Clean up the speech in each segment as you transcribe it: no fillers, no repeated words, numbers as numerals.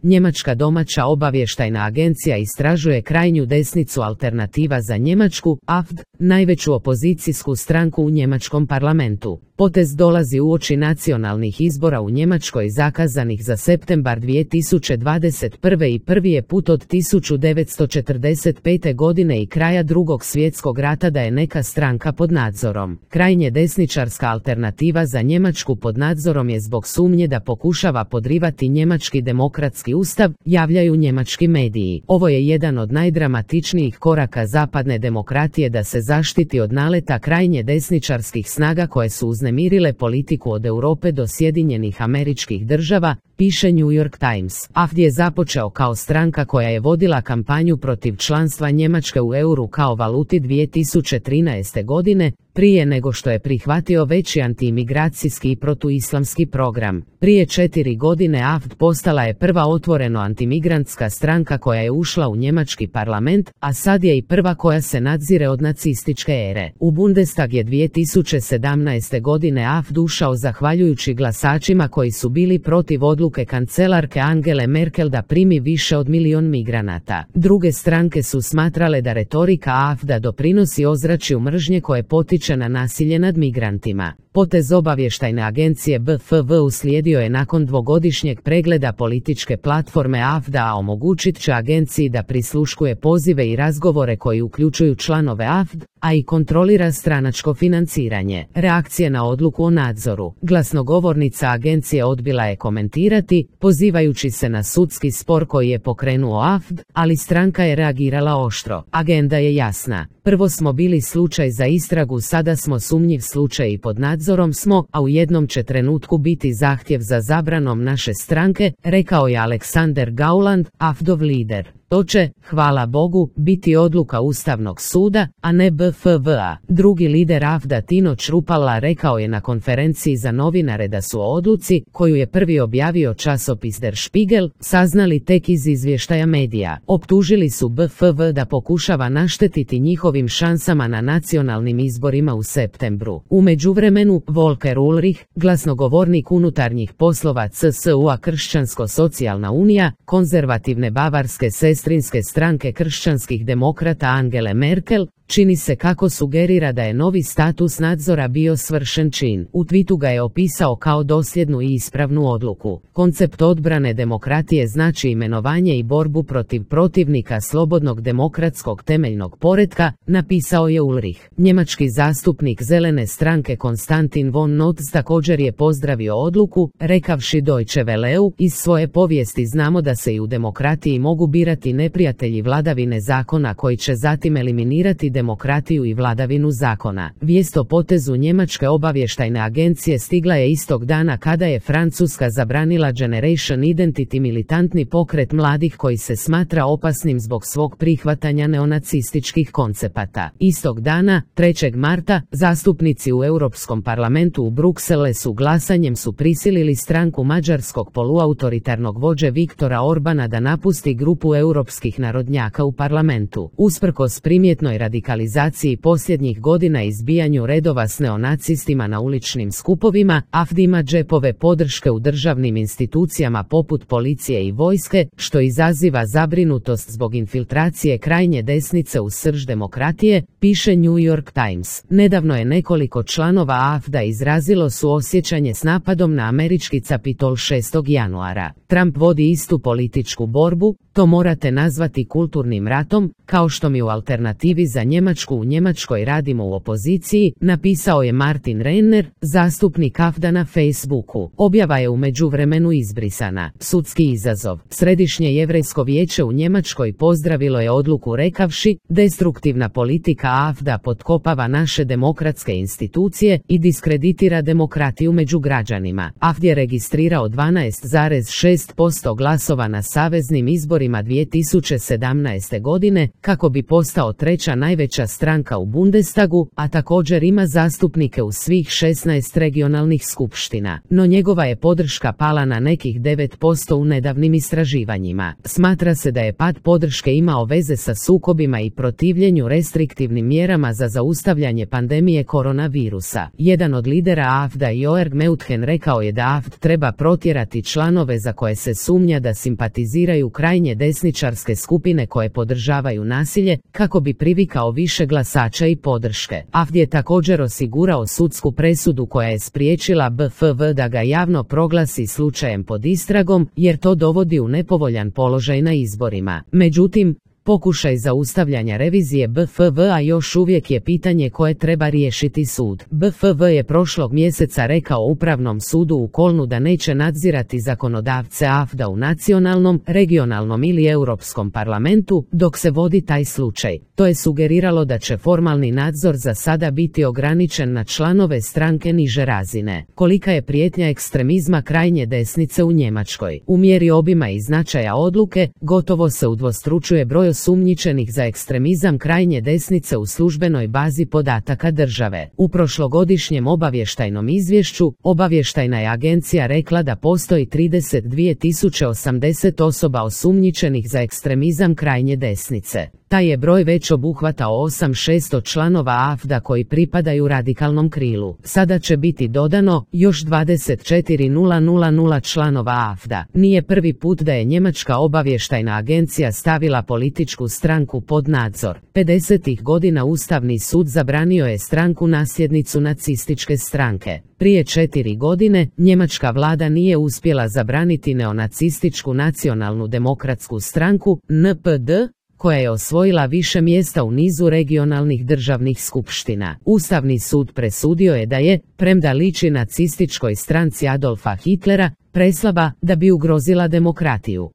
Njemačka domaća obavještajna agencija istražuje krajnju desnicu Alternativa za Njemačku, AfD, najveću opozicijsku stranku u njemačkom parlamentu. Potez dolazi uoči nacionalnih izbora u Njemačkoj zakazanih za septembar 2021. i prvi je put od 1945. godine i kraja Drugog svjetskog rata da je neka stranka pod nadzorom. Krajnje desničarska Alternativa za Njemačku pod nadzorom je zbog sumnje da pokušava podrivati njemački demokratski ustav, javljaju njemački mediji. Ovo je jedan od najdramatičnijih koraka zapadne demokratije da se zaštiti od naleta krajnje desničarskih snaga koje su uznemirile politiku od Europe do Sjedinjenih Američkih Država, piše New York Times. AfD je započeo kao stranka koja je vodila kampanju protiv članstva Njemačke u euru kao valuti 2013. godine, prije nego što je prihvatio veći antiimigracijski i protuislamski program. Prije 4 godine AfD postala je prva otvoreno antimigrantska stranka koja je ušla u njemački parlament, a sad je i prva koja se nadzire od nacističke ere. U Bundestag je 2017. godine AfD ušao zahvaljujući glasačima koji su bili protiv odluke kancelarke Angele Merkel da primi više od 1 milion migranata. Druge stranke su smatrale da retorika AfD-a doprinosi ozračju mržnje koje potiče na nasilje nad migrantima. Potez obavještajne agencije BFV uslijedio je nakon dvogodišnjeg pregleda političke platforme AfD-a, a omogućit će agenciji da prisluškuje pozive i razgovore koji uključuju članove AfD, a i kontrolira stranačko financiranje. Reakcije na odluku o nadzoru. Glasnogovornica agencije odbila je komentirati, pozivajući se na sudski spor koji je pokrenuo AfD, ali stranka je reagirala oštro. Agenda je jasna. Prvo smo bili slučaj za istragu, sada smo sumnjiv slučaj i pod nadzorom smo, a u jednom će trenutku biti zahtjev za zabranom naše stranke, rekao je Alexander Gauland, AfD-ov lider. To će, hvala Bogu, biti odluka Ustavnog suda, a ne BFV-a. Drugi lider AfD-a Tino Chrupalla rekao je na konferenciji za novinare da su o odluci, koju je prvi objavio časopis Der Spiegel, saznali tek iz izvještaja medija. Optužili su BFV da pokušava naštetiti njihovim šansama na nacionalnim izborima u septembru. U međuvremenu, Volker Ulrich, glasnogovornik unutarnjih poslova CSU-a Kršćansko-socijalna unija, konzervativne bavarske sestrinske stranke kršćanskih demokrata Angele Merkel, čini se kako sugerira da je novi status nadzora bio svršen čin. U twitu ga je opisao kao dosljednu i ispravnu odluku. Koncept odbrane demokratije znači imenovanje i borbu protiv protivnika slobodnog demokratskog temeljnog poretka, napisao je Ulrich. Njemački zastupnik zelene stranke Konstantin von Notz također je pozdravio odluku, rekavši Deutsche Welleu, iz svoje povijesti znamo da se i u demokratiji mogu birati neprijatelji vladavine zakona koji će zatim eliminirati demokratiju i vladavinu zakona. Vijest o potezu njemačke obavještajne agencije stigla je istog dana kada je Francuska zabranila Generation Identity, militantni pokret mladih koji se smatra opasnim zbog svog prihvatanja neonacističkih koncepata. Istog dana, 3. marta, zastupnici u Europskom parlamentu u Bruxellesu glasanjem su prisilili stranku mađarskog poluautoritarnog vođe Viktora Orbana da napusti grupu europskih narodnjaka u parlamentu. Usprkos primjetnoj radikalizaciji posljednjih godina i izbijanju redova s neonacistima na uličnim skupovima, AfD ima džepove podrške u državnim institucijama poput policije i vojske, što izaziva zabrinutost zbog infiltracije krajnje desnice u srž demokratije, piše New York Times. Nedavno je nekoliko članova AfD-a izrazilo suosjećanje s napadom na američki Capitol 6. januara. Trump vodi istu političku borbu, to morate nazvati kulturnim ratom, kao što mi u Alternativi za Njemačku u Njemačkoj radimo u opoziciji, napisao je Martin Renner, zastupnik AfD-a na Facebooku. Objava je u međuvremenu izbrisana. Sudski izazov. Središnje jevrejsko vijeće u Njemačkoj pozdravilo je odluku rekavši, destruktivna politika AfD-a potkopava naše demokratske institucije i diskreditira demokratiju među građanima. AfD je registrirao 12,6% glasova na saveznim izborima 2017. godine, kako bi postao treća najveća najveća stranka u Bundestagu, a također ima zastupnike u svih 16 regionalnih skupština, no njegova je podrška pala na nekih 9% u nedavnim istraživanjima. Smatra se da je pad podrške imao veze sa sukobima i protivljenju restriktivnim mjerama za zaustavljanje pandemije koronavirusa. Jedan od lidera AfD-a Jörg Meuthen rekao je da AfD treba protjerati članove za koje se sumnja da simpatiziraju krajnje desničarske skupine koje podržavaju nasilje, kako bi privikao više glasača i podrške. AfD je također osigurao sudsku presudu koja je spriječila BFV da ga javno proglasi slučajem pod istragom, jer to dovodi u nepovoljan položaj na izborima. Međutim, pokušaj zaustavljanja revizije BFV-a još uvijek je pitanje koje treba riješiti sud. BFV je prošlog mjeseca rekao Upravnom sudu u Kolnu da neće nadzirati zakonodavce AfD-a u nacionalnom, regionalnom ili europskom parlamentu dok se vodi taj slučaj. To je sugeriralo da će formalni nadzor za sada biti ograničen na članove stranke niže razine. Kolika je prijetnja ekstremizma krajnje desnice u Njemačkoj? U mjeri obima i značaja odluke, gotovo se udvostručuje broj osumnjičenih za ekstremizam krajnje desnice u službenoj bazi podataka države. U prošlogodišnjem obavještajnom izvješću, obavještajna je agencija rekla da postoji 32.080 osoba osumnjičenih za ekstremizam krajnje desnice. Taj je broj već obuhvatao 8.600 članova AfD-a koji pripadaju radikalnom krilu. Sada će biti dodano još 24.000 članova AfD-a. Nije prvi put da je njemačka obavještajna agencija stavila političku stranku pod nadzor. 50. godina Ustavni sud zabranio je stranku nasljednicu nacističke stranke. Prije 4 godine njemačka vlada nije uspjela zabraniti neonacističku nacionalnu demokratsku stranku NPD, koja je osvojila više mjesta u nizu regionalnih državnih skupština. Ustavni sud presudio je da je, premda liči nacističkoj stranci Adolfa Hitlera, preslaba da bi ugrozila demokratiju.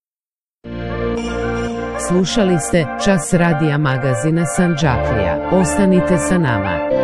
Slušali ste Čas radija magazina Sandžaklija. Ostanite sa nama.